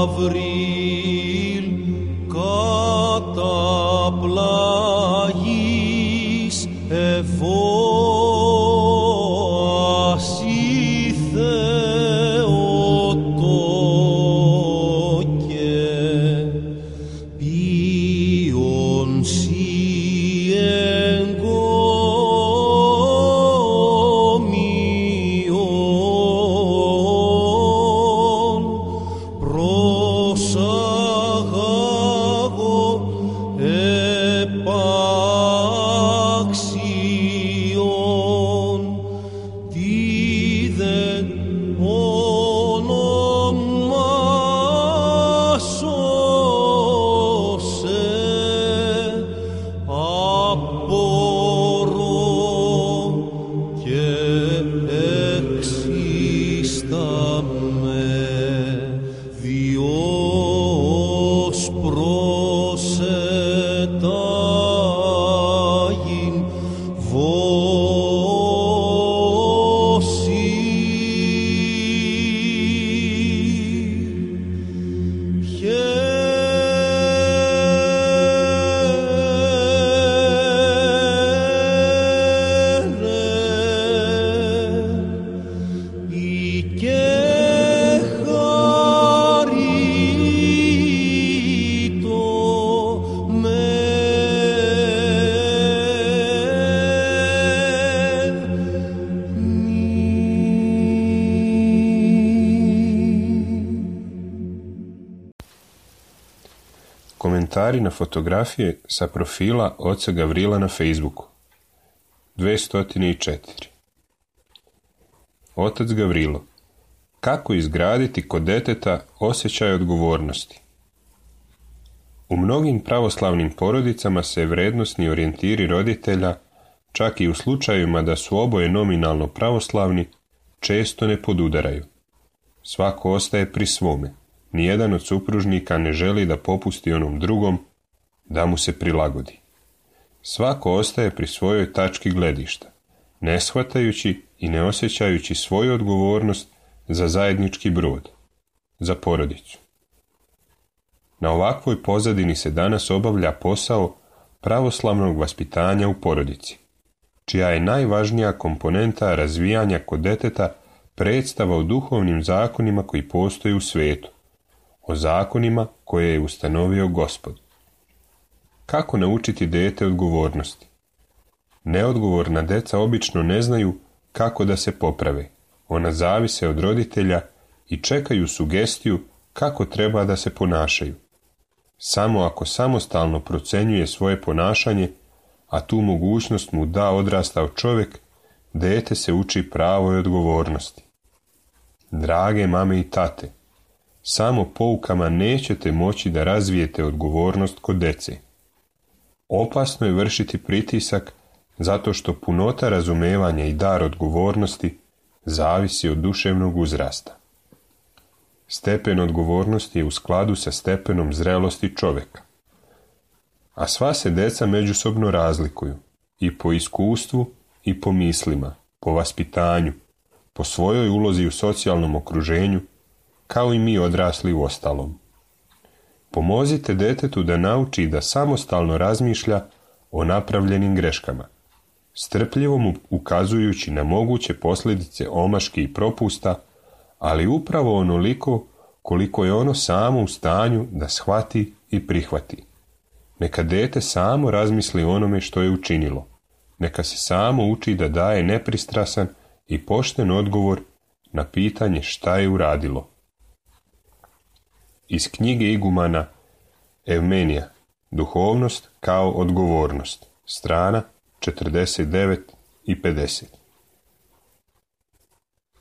Γαβρίλ καταπλαγής εφώασι Θεοτόκε ποιον σοι εγκόμιον προσαγάγω επάξιον τι δεν ονομάσωσε απορώ και εξίσταμε Διός προσετάγειν βόσι Komentari na fotografije sa profila oca Gavrila na Facebooku. 204. Otac Gavrilo. Kako izgraditi kod deteta osjećaj odgovornosti? U mnogim pravoslavnim porodicama se vrednosni orijentiri roditelja, čak i u slučajevima da su oboje nominalno pravoslavni, često ne podudaraju. Svako ostaje pri svome. Nijedan od supružnika ne želi da popusti onom drugom, da mu se prilagodi. Svako ostaje pri svojoj tački gledišta, ne shvatajući i ne osjećajući svoju odgovornost za zajednički brod, za porodicu. Na ovakvoj pozadini se danas obavlja posao pravoslavnog vaspitanja u porodici, čija je najvažnija komponenta razvijanja kod deteta predstava o duhovnim zakonima koji postoje u svijetu, o zakonima koje je ustanovio Gospod. Kako naučiti dete odgovornosti? Neodgovorna deca obično ne znaju kako da se poprave. Ona zavise od roditelja i čekaju sugestiju kako treba da se ponašaju. Samo ako samostalno procenjuje svoje ponašanje, a tu mogućnost mu da odrastao čovjek, dete se uči pravoj odgovornosti. Drage mame i tate, samo poukama nećete moći da razvijete odgovornost kod dece. Opasno je vršiti pritisak zato što punota razumevanja i dar odgovornosti zavisi od duševnog uzrasta. Stepen odgovornosti je u skladu sa stepenom zrelosti čovjeka. A sva se deca međusobno razlikuju, i po iskustvu i po mislima, po vaspitanju, po svojoj ulozi u socijalnom okruženju, kao i mi odrasli u ostalom. Pomozite detetu da nauči da samostalno razmišlja o napravljenim greškama, strpljivo mu ukazujući na moguće posljedice omaški i propusta, ali upravo onoliko koliko je ono samo u stanju da shvati i prihvati. Neka dete samo razmisli o onome što je učinilo. Neka se samo uči da daje nepristrasan i pošten odgovor na pitanje šta je uradilo. Iz knjige igumana Evmenija, Duhovnost kao odgovornost, strana 49 i 50.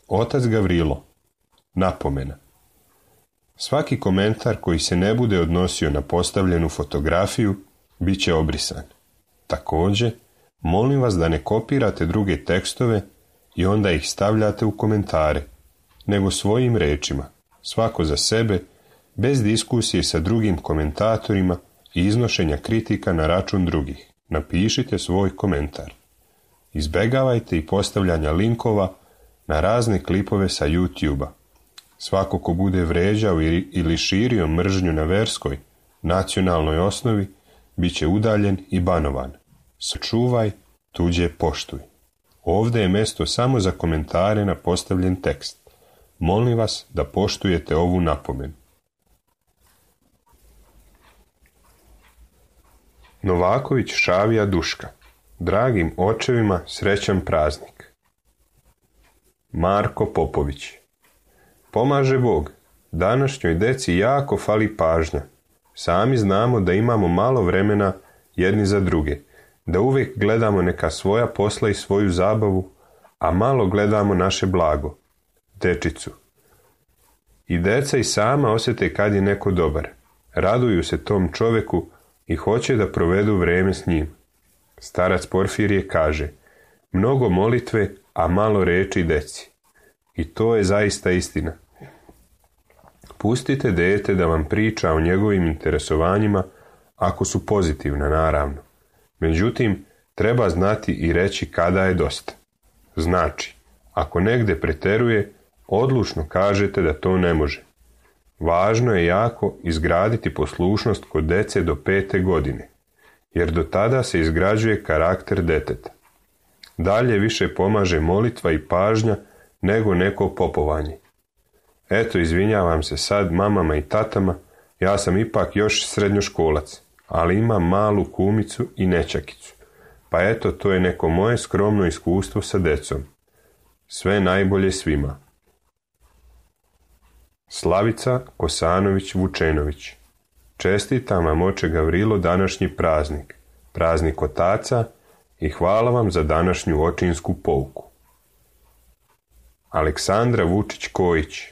Otac Gavrilo. Napomena. Svaki komentar koji se ne bude odnosio na postavljenu fotografiju bit će obrisan. Također, molim vas da ne kopirate druge tekstove i onda ih stavljate u komentare, nego svojim rečima, svako za sebe, bez diskusije sa drugim komentatorima i iznošenja kritika na račun drugih. Napišite svoj komentar. Izbegavajte i postavljanja linkova na razne klipove sa YouTube-a. Svako ko bude vređao ili širio mržnju na verskoj, nacionalnoj osnovi, bit će udaljen i banovan. Sačuvaj, tuđe poštuj. Ovdje je mjesto samo za komentare na postavljen tekst. Molim vas da poštujete ovu napomenu. Novaković Šavija Duška. Dragim očevima srećan praznik. Marko Popović. Pomaže Bog. Današnjoj deci jako fali pažnja. Sami znamo da imamo malo vremena jedni za druge, da uvijek gledamo neka svoja posla i svoju zabavu, a malo gledamo naše blago, dečicu. I deca i sama osjete kad je neko dobar. Raduju se tom čoveku i hoće da provedu vrijeme s njim. Starac Porfirije kaže: mnogo molitve, a malo reči deci. I to je zaista istina. Pustite dete da vam priča o njegovim interesovanjima, ako su pozitivna, naravno. Međutim, treba znati i reći kada je dosta. Znači, ako negde preteruje, odlučno kažete da to ne može. Važno je jako izgraditi poslušnost kod dece do 5. godine, jer do tada se izgrađuje karakter deteta. Dalje više pomaže molitva i pažnja nego neko popovanje. Eto, izvinjavam se sad mamama i tatama, ja sam ipak još srednjoškolac, ali imam malu kumicu i nećakicu. Pa eto, to je neko moje skromno iskustvo sa decom. Sve najbolje svima. Slavica Kosanović Vučenović. Čestitam vam, oče Gavrilo, današnji praznik, praznik otaca, i hvala vam za današnju očinsku pouku. Aleksandra Vučić Kojić.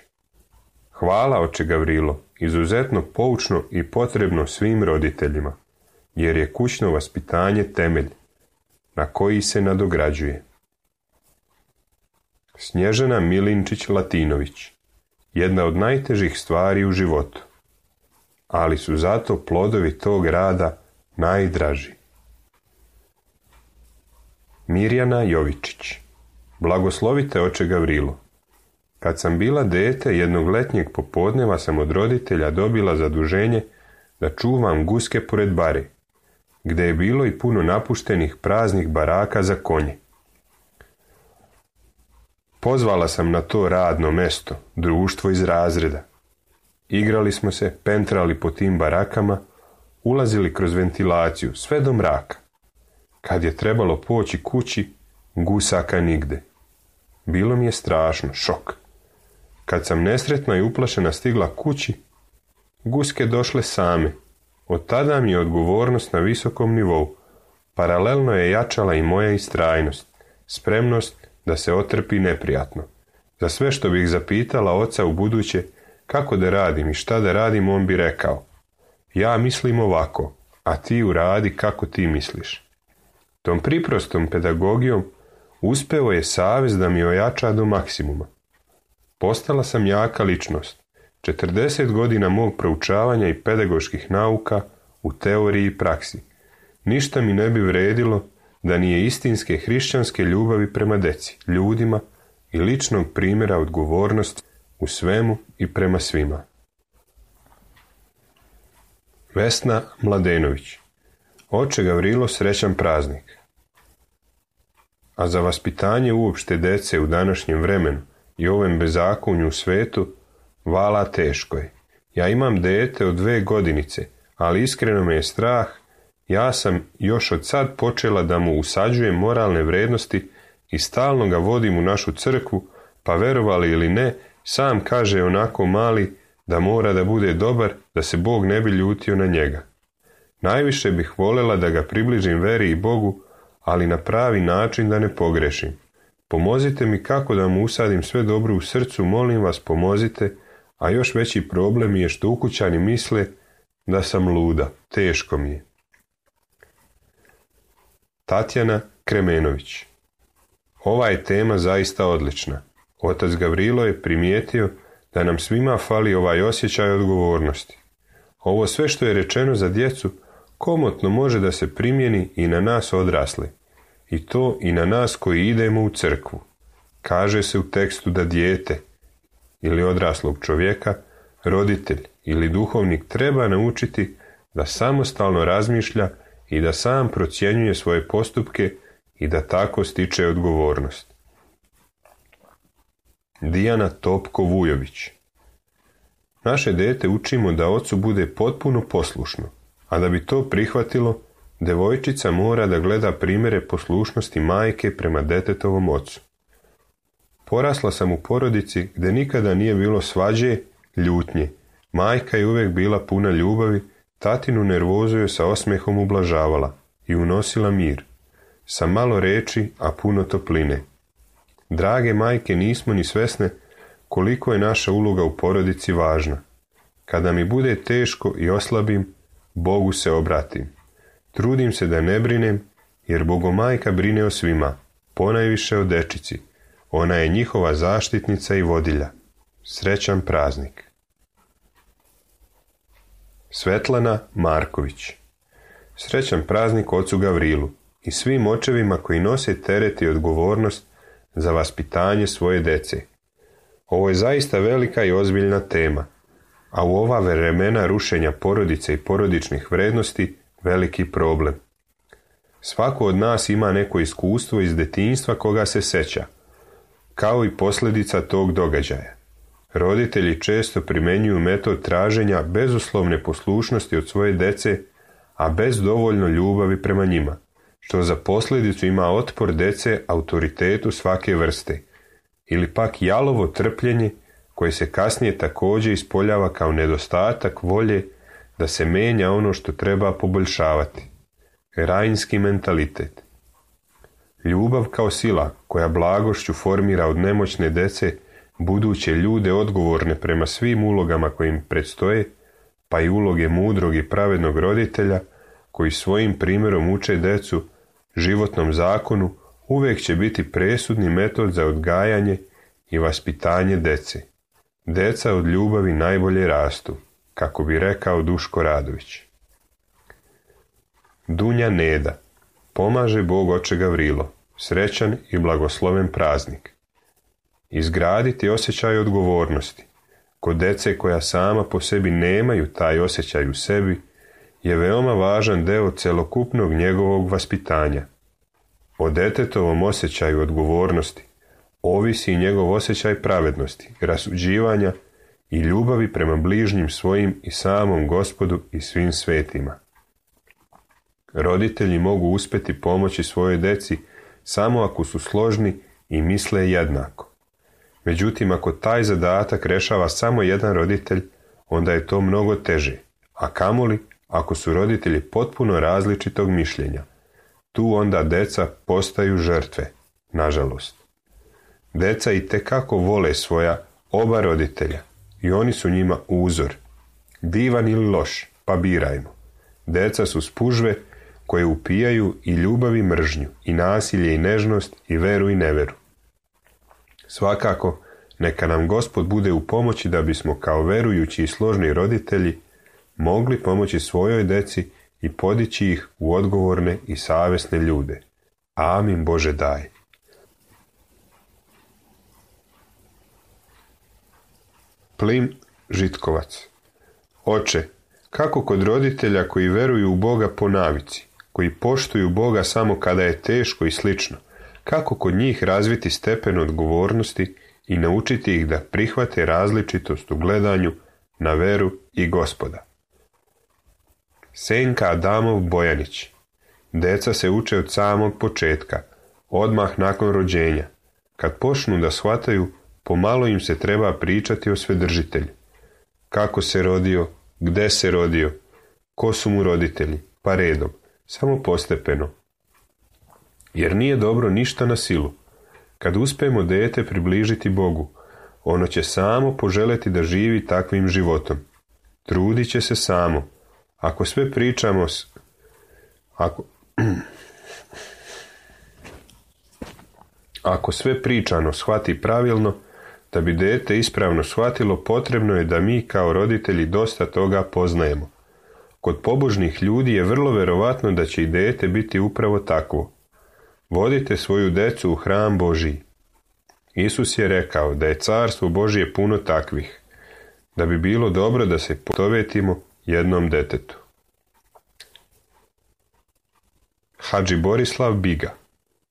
Hvala, oče Gavrilo, izuzetno poučno i potrebno svim roditeljima, jer je kućno vaspitanje temelj na koji se nadograđuje. Snježana Milinčić Latinović. Jedna od najtežih stvari u životu, ali su zato plodovi tog rada najdraži. Mirjana Jovičić. Blagoslovite, oče Gavrilo. Kad sam bila dete, jednog letnjeg popodneva sam od roditelja dobila zaduženje da čuvam guske pored bare, gdje je bilo i puno napuštenih praznih baraka za konje. Pozvala sam na to radno mesto, društvo iz razreda. Igrali smo se, pentrali po tim barakama, ulazili kroz ventilaciju, sve do mraka. Kad je trebalo poći kući, gusaka nigde. Bilo mi je strašno, šok. Kad sam nesretna i uplašena stigla kući, guske došle same. Od tada mi je odgovornost na visokom nivou. Paralelno je jačala i moja istrajnost, spremnost da se otrpi neprijatno. Za sve što bih zapitala oca u buduće kako da radim i šta da radim, on bi rekao: ja mislim ovako, a ti uradi kako ti misliš. Tom priprostom pedagogijom uspeo je savez da mi ojača do maksimuma. Postala sam jaka ličnost. 40 godina mog proučavanja i pedagoških nauka u teoriji i praksi. Ništa mi ne bi vredilo da nije istinske hrišćanske ljubavi prema deci, ljudima i ličnog primjera odgovornosti u svemu i prema svima. Vesna Mladenović. Oče Gavrilo, srećan praznik. A za vaspitanje uopšte dece u današnjem vremenu i ovem bezakonju u svetu, vala teško je. Ja imam dete od 2 godinice, ali iskreno me je strah. Ja sam još od sad počela da mu usađujem moralne vrednosti i stalno ga vodim u našu crkvu, pa verovali ili ne, sam kaže onako mali da mora da bude dobar, da se Bog ne bi ljutio na njega. Najviše bih voljela da ga približim veri i Bogu, ali na pravi način da ne pogrešim. Pomozite mi kako da mu usadim sve dobro u srcu, molim vas, pomozite, a još veći problem je što ukućani misle da sam luda, teško mi je. Tatjana Kremenović. Ova je tema zaista odlična. Otac Gavrilo je primijetio da nam svima fali ovaj osjećaj odgovornosti. Ovo sve što je rečeno za djecu komotno može da se primjeni i na nas odrasle. I to i na nas koji idemo u crkvu. Kaže se u tekstu da dijete ili odraslog čovjeka, roditelj ili duhovnik treba naučiti da samostalno razmišlja i da sam procjenjuje svoje postupke i da tako stiče odgovornost. Dijana Topko-Vujović. Naše dete učimo da ocu bude potpuno poslušno, a da bi to prihvatilo, devojčica mora da gleda primjere poslušnosti majke prema detetovom ocu. Porasla sam u porodici gdje nikada nije bilo svađe, ljutnje. Majka je uvijek bila puna ljubavi, tatinu nervozu je sa osmehom ublažavala i unosila mir. Sa malo reči, a puno topline. Drage majke, nismo ni svesne koliko je naša uloga u porodici važna. Kada mi bude teško i oslabim, Bogu se obratim. Trudim se da ne brinem, jer Bogomajka brine o svima, ponajviše o dečici. Ona je njihova zaštitnica i vodilja. Srećan praznik. Svetlana Marković. Srećan praznik ocu Gavrilu i svim očevima koji nose teret i odgovornost za vaspitanje svoje dece. Ovo je zaista velika i ozbiljna tema, a u ova vremena rušenja porodice i porodičnih vrednosti veliki problem. Svako od nas ima neko iskustvo iz detinjstva koga se seća, kao i posljedica tog događaja. Roditelji često primjenjuju metod traženja bezuslovne poslušnosti od svoje dece, a bez dovoljno ljubavi prema njima, što za posljedicu ima otpor dece autoritetu svake vrste, ili pak jalovo trpljenje koje se kasnije također ispoljava kao nedostatak volje da se menja ono što treba poboljšavati. Rajinski mentalitet. Ljubav kao sila koja blagošću formira od nemoćne dece buduće ljude odgovorne prema svim ulogama koje im predstoje, pa i uloge mudrog i pravednog roditelja koji svojim primjerom uče decu životnom zakonu, uvijek će biti presudni metod za odgajanje i vaspitanje dece. Deca od ljubavi najbolje rastu, kako bi rekao Duško Radović. Dunja Neda. Pomaže Bog oče Gavrilo. Srećan i blagosloven praznik. Izgraditi osjećaj odgovornosti kod dece koja sama po sebi nemaju taj osjećaj u sebi je veoma važan deo celokupnog njegovog vaspitanja. O detetovom osjećaju odgovornosti ovisi i njegov osjećaj pravednosti, rasuđivanja i ljubavi prema bližnjim svojim i samom Gospodu i svim svetima. Roditelji mogu uspjeti pomoći svojoj deci samo ako su složni i misle jednako. Međutim, ako taj zadatak rešava samo jedan roditelj, onda je to mnogo teže, a kamoli ako su roditelji potpuno različitog mišljenja. Tu onda deca postaju žrtve, nažalost. Deca itekako vole svoja oba roditelja i oni su njima uzor. Divan ili loš, pa birajmo. Deca su spužve koje upijaju i ljubav i mržnju, i nasilje i nežnost, i veru i neveru. Svakako, neka nam Gospod bude u pomoći da bismo kao verujući i složni roditelji mogli pomoći svojoj deci i podići ih u odgovorne i savjesne ljude. Amin Bože daj. Plim Žitkovac. Oče, kako kod roditelja koji veruju u Boga po navici, koji poštuju Boga samo kada je teško i slično, kako kod njih razviti stepen odgovornosti i naučiti ih da prihvate različitost u gledanju na veru i Gospoda. Senka Adamov Bojanić. Deca se uče od samog početka, odmah nakon rođenja. Kad počnu da shvataju, pomalo im se treba pričati o Svedržitelju. Kako se rodio, gde se rodio, ko su mu roditelji, pa redom, samo postepeno. Jer nije dobro ništa na silu. Kad uspijemo dete približiti Bogu, ono će samo poželeti da živi takvim životom. Trudit će se samo. Ako sve pričamo Ako sve pričano shvati pravilno, da bi dete ispravno shvatilo, potrebno je da mi kao roditelji dosta toga poznajemo. Kod pobožnih ljudi je vrlo verovatno da će i dete biti upravo takvo. Vodite svoju decu u hram Božiji. Isus je rekao da je carstvo Božje puno takvih, da bi bilo dobro da se potovetimo jednom detetu. Hadži Borislav Biga.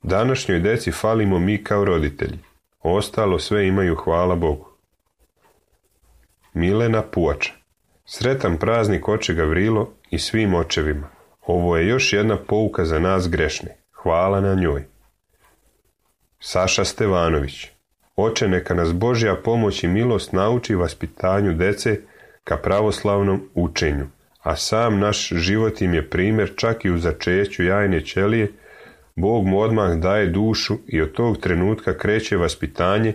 Današnjoj deci falimo mi kao roditelji. Ostalo sve imaju, hvala Bogu. Milena Puača. Sretan praznik oče Gavrilo i svim očevima. Ovo je još jedna pouka za nas grešne. Hvala na njoj. Saša Stevanović. Oče, neka nas Božja pomoć i milost nauči vaspitanju dece ka pravoslavnom učenju, a sam naš život im je primjer čak i u začeću jajne ćelije. Bog mu odmah daje dušu i od tog trenutka kreće vaspitanje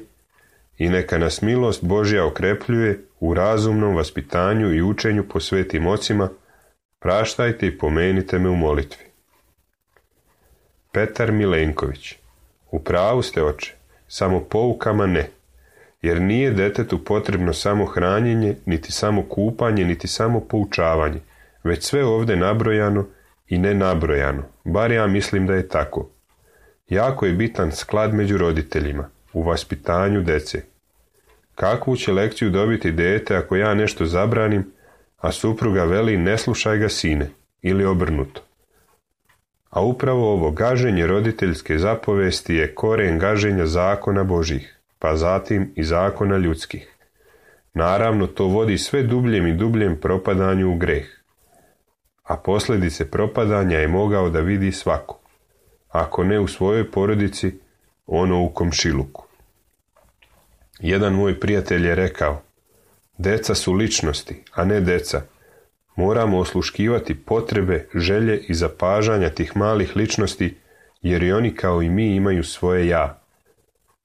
i neka nas milost Božja okrepljuje u razumnom vaspitanju i učenju po svetim ocima. Praštajte i pomenite me u molitvi. Petar Milenković. U pravu ste, oče, samo poukama ne, jer nije detetu potrebno samo hranjenje, niti samo kupanje, niti samo poučavanje, već sve ovdje nabrojano i nenabrojano, bar ja mislim da je tako. Jako je bitan sklad među roditeljima, u vaspitanju dece. Kakvu će lekciju dobiti dete ako ja nešto zabranim, a supruga veli ne slušaj ga sine, ili obrnuto. A upravo ovo gaženje roditeljske zapovesti je koren gaženja zakona Božjih, pa zatim i zakona ljudskih. Naravno, to vodi sve dubljem i dubljem propadanju u greh. A posljedice propadanja je mogao da vidi svako. Ako ne u svojoj porodici, ono u komšiluku. Jedan moj prijatelj je rekao, deca su ličnosti, a ne deca. Moramo osluškivati potrebe, želje i zapažanja tih malih ličnosti, jer i oni kao i mi imaju svoje ja.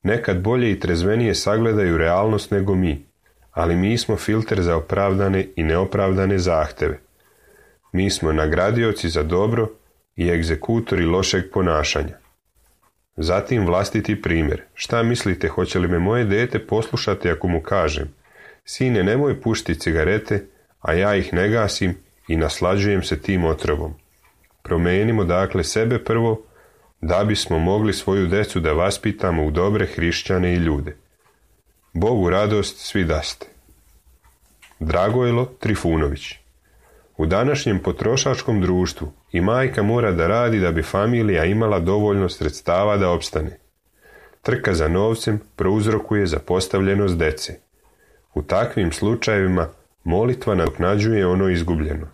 Nekad bolje i trezvenije sagledaju realnost nego mi, ali mi smo filter za opravdane i neopravdane zahteve. Mi smo nagradioci za dobro i egzekutori lošeg ponašanja. Zatim vlastiti primjer. Šta mislite, hoće li me moje dete poslušati ako mu kažem, sine, nemoj pušti cigarete, a ja ih ne gasim i naslađujem se tim otrovom. Promenimo dakle sebe prvo, da bismo mogli svoju decu da vaspitamo u dobre hrišćane i ljude. Bogu radost svi daste. Dragojlo Trifunović. U današnjem potrošačkom društvu i majka mora da radi da bi familija imala dovoljno sredstava da opstane. Trka za novcem prouzrokuje zapostavljenost dece. U takvim slučajevima molitva nadoknađuje ono izgubljeno,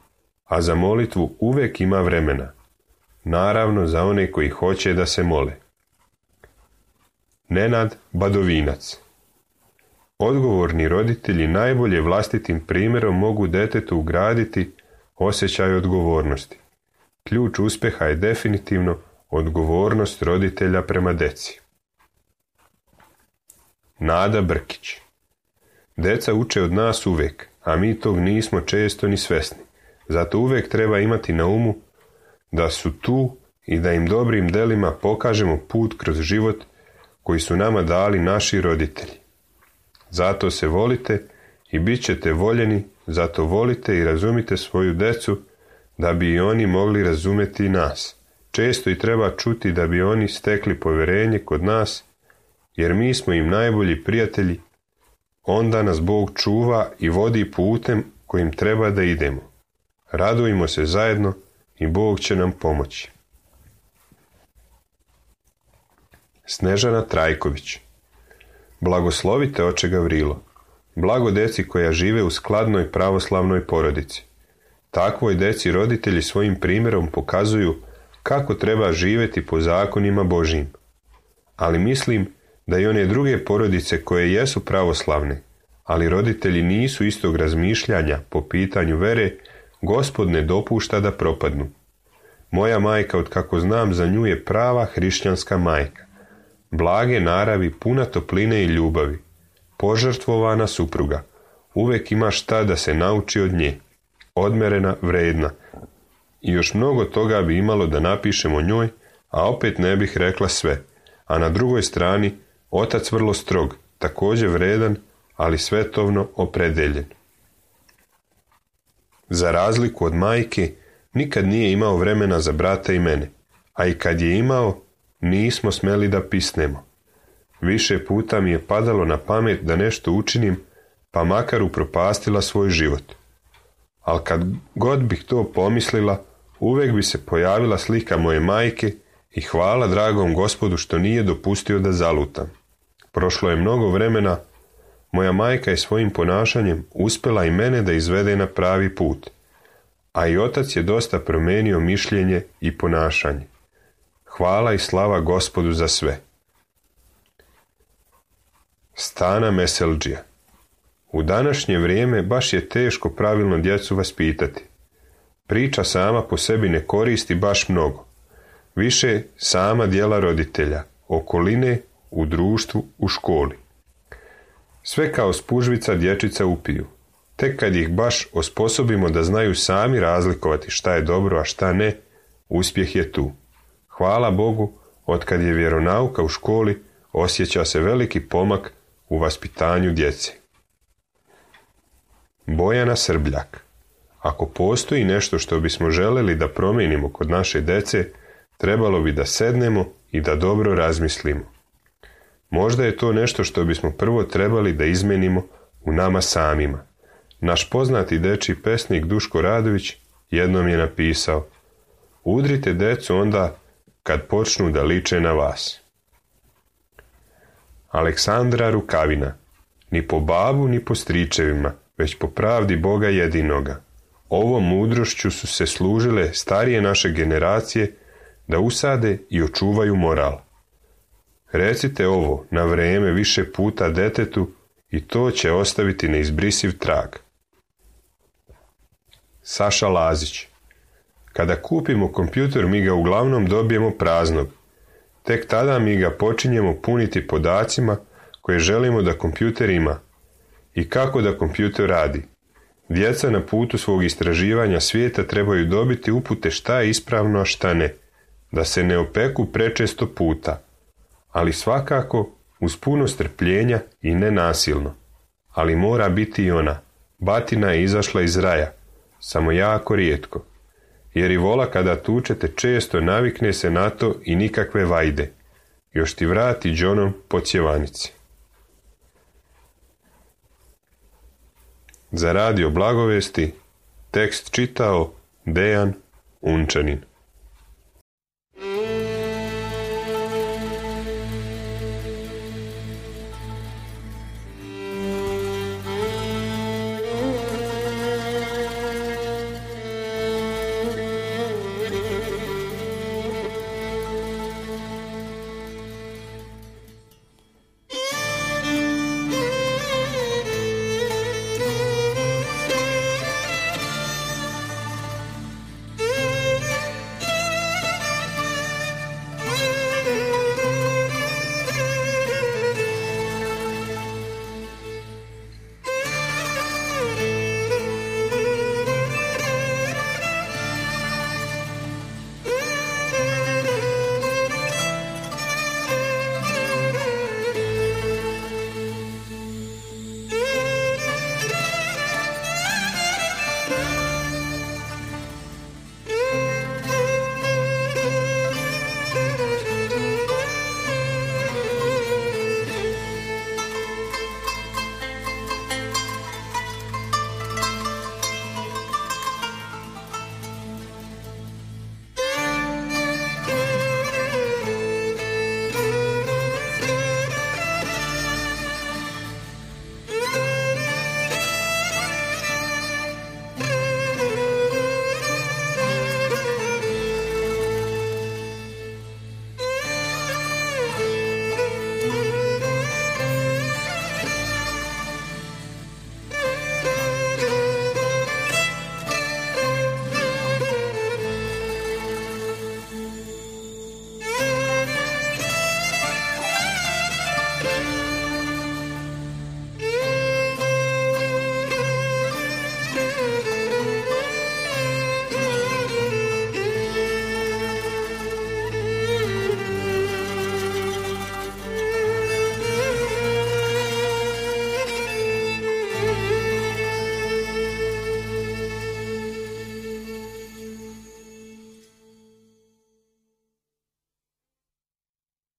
a za molitvu uvek ima vremena. Naravno za one koji hoće da se mole. Nenad Badovinac. Odgovorni roditelji najbolje vlastitim primjerom mogu detetu ugraditi osjećaj odgovornosti. Ključ uspjeha je definitivno odgovornost roditelja prema deci. Nada Brkić. Deca uče od nas uvijek, a mi tog nismo često ni svesni. Zato uvijek treba imati na umu da su tu i da im dobrim delima pokažemo put kroz život koji su nama dali naši roditelji. Zato se volite i bit ćete voljeni, zato volite i razumite svoju decu da bi i oni mogli razumjeti nas. Često i treba čuti da bi oni stekli povjerenje kod nas, jer mi smo im najbolji prijatelji. Onda nas Bog čuva i vodi putem kojim treba da idemo. Radujmo se zajedno i Bog će nam pomoći. Snežana Trajković. Blagoslovite oče Gavrilo. Blago deci koja žive u skladnoj pravoslavnoj porodici. Takvoj deci roditelji svojim primjerom pokazuju kako treba živjeti po zakonima Božjim. Ali mislim da i one druge porodice koje jesu pravoslavne, ali roditelji nisu istog razmišljanja po pitanju vere, Gospod ne dopušta da propadnu. Moja majka, od kako znam za nju, je prava hrišćanska majka. Blage naravi, puna topline i ljubavi. Požrtvovana supruga. Uvijek ima šta da se nauči od nje. Odmerena, vredna. I još mnogo toga bi imalo da napišem o njoj, a opet ne bih rekla sve. A na drugoj strani, otac vrlo strog, također vredan, ali svetovno opredeljen. Za razliku od majke, nikad nije imao vremena za brata i mene, a i kad je imao, nismo smeli da pisnemo. Više puta mi je padalo na pamet da nešto učinim, pa makar upropastila svoj život. Ali kad god bih to pomislila, uvijek bi se pojavila slika moje majke i hvala dragom Gospodu što nije dopustio da zalutam. Prošlo je mnogo vremena, moja majka je svojim ponašanjem uspjela i mene da izvede na pravi put, a i otac je dosta promijenio mišljenje i ponašanje. Hvala i slava Gospodu za sve. Stana Meseldžija. U današnje vrijeme baš je teško pravilno djecu vaspitati. Priča sama po sebi ne koristi baš mnogo. Više sama djela roditelja, okoline, u društvu, u školi. Sve kao spužvica dječica upiju. Tek kad ih baš osposobimo da znaju sami razlikovati šta je dobro, a šta ne, uspjeh je tu. Hvala Bogu, otkad je vjeronauka u školi, osjeća se veliki pomak u vaspitanju djece. Bojana Srbljak. Ako postoji nešto što bismo željeli da promijenimo kod naše djece, trebalo bi da sednemo i da dobro razmislimo. Možda je to nešto što bismo prvo trebali da izmenimo u nama samima. Naš poznati dečji pesnik Duško Radović jednom je napisao: udrite decu onda kad počnu da liče na vas. Aleksandra Rukavina. Ni po babu ni po stričevima, već po pravdi Boga jedinoga. Ovom mudrošću su se služile starije naše generacije da usade i očuvaju moral. Recite ovo na vrijeme više puta detetu i to će ostaviti neizbrisiv trag. Saša Lazić. Kada kupimo kompjuter, mi ga uglavnom dobijemo praznog. Tek tada mi ga počinjemo puniti podacima koje želimo da kompjuter ima. I kako da kompjuter radi? Djeca na putu svog istraživanja svijeta trebaju dobiti upute šta je ispravno, a šta ne. Da se ne opeku prečesto puta. Ali svakako uz puno strpljenja i nenasilno. Ali mora biti i ona. Batina je izašla iz raja. Samo jako rijetko. Jer i vola kada tučete često navikne se na to i nikakve vajde. Još ti vrati džonom po cjevanici. Za radio Blagovesti tekst čitao Dejan Unčanin.